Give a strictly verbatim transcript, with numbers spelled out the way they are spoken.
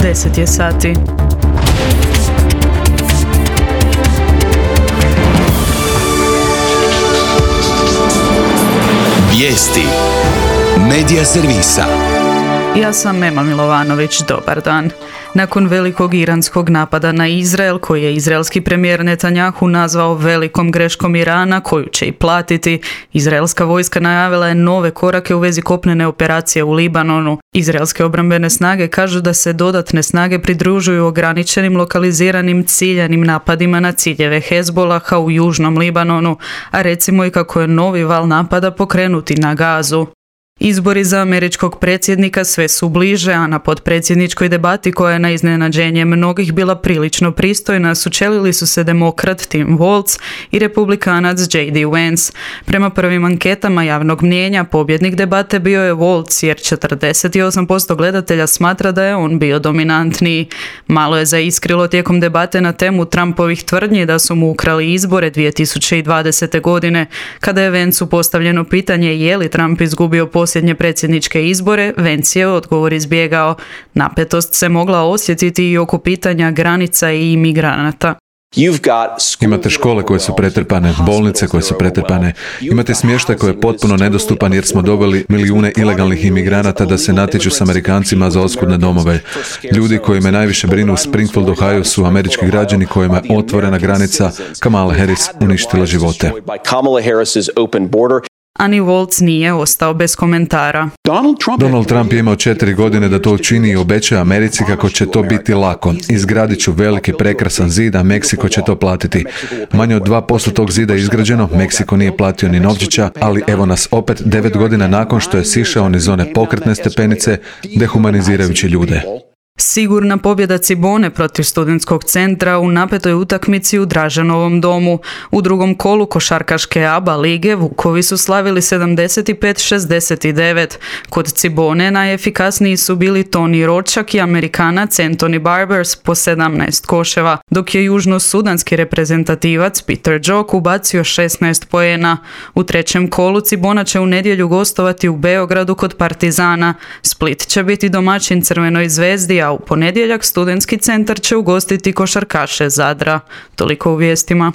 deset je sati. Vijesti Medija servisa. Ja sam Ema Milovanović, dobar dan. Nakon velikog iranskog napada na Izrael, koji je izraelski premijer Netanjahu nazvao velikom greškom Irana, koju će i platiti, izraelska vojska najavila je nove korake u vezi kopnene operacije u Libanonu. Izraelske obrambene snage kažu da se dodatne snage pridružuju ograničenim lokaliziranim ciljanim napadima na ciljeve Hezbolaha u južnom Libanonu, a recimo i kako je novi val napada pokrenuti na Gazu. Izbori za američkog predsjednika sve su bliže, a na potpredsjedničkoj debati koja je na iznenađenje mnogih bila prilično pristojna sučelili su se demokrat Tim Walz i republikanac J D Vance. Prema prvim anketama javnog mnijenja pobjednik debate bio je Walz jer četrdeset osam posto gledatelja smatra da je on bio dominantniji. Malo je zaiskrilo tijekom debate na temu Trumpovih tvrdnji da su mu ukrali izbore dvije tisuće dvadesete. godine. Kada je Vanceu postavljeno pitanje je li Trump izgubio posljednje predsjedničke izbore, Vance je odgovor izbjegao. Napetost se mogla osjetiti i oko pitanja granica i imigranata. Imate škole koje su pretrpane, bolnice koje su pretrpane, imate smještaj koji je potpuno nedostupan jer smo doveli milijune ilegalnih imigranata da se natječu s Amerikancima za oskudne domove. Ljudi koji me najviše brinu u Springfield, Ohio su američki građani kojima je otvorena granica Kamala Harris uništila živote. A ni Walz nije ostao bez komentara. Donald Trump, Donald Trump je imao četiri godine da to učini i obećao Americi kako će to biti lako. Izgradit ću veliki prekrasan zid, a Meksiko će to platiti. Manje od dva posto tog zida je izgrađeno, Meksiko nije platio ni novčića, ali evo nas opet devet godina nakon što je sišao niz one pokretne stepenice, dehumanizirajući ljude. Sigurna pobjeda Cibone protiv studentskog centra u napetoj utakmici u Draženovom domu. U drugom kolu košarkaške A B A lige Vukovi su slavili sedamdeset pet šezdeset devet. Kod Cibone najefikasniji su bili Toni Ročak i Amerikanac Anthony Barbers po sedamnaest koševa, dok je južno-sudanski reprezentativac Peter Jok ubacio šesnaest poena. U trećem kolu Cibona će u nedjelju gostovati u Beogradu kod Partizana. Split će biti domaćin Crvenoj zvezdi, a u ponedjeljak studentski centar će ugostiti košarkaše Zadra. Toliko u vijestima.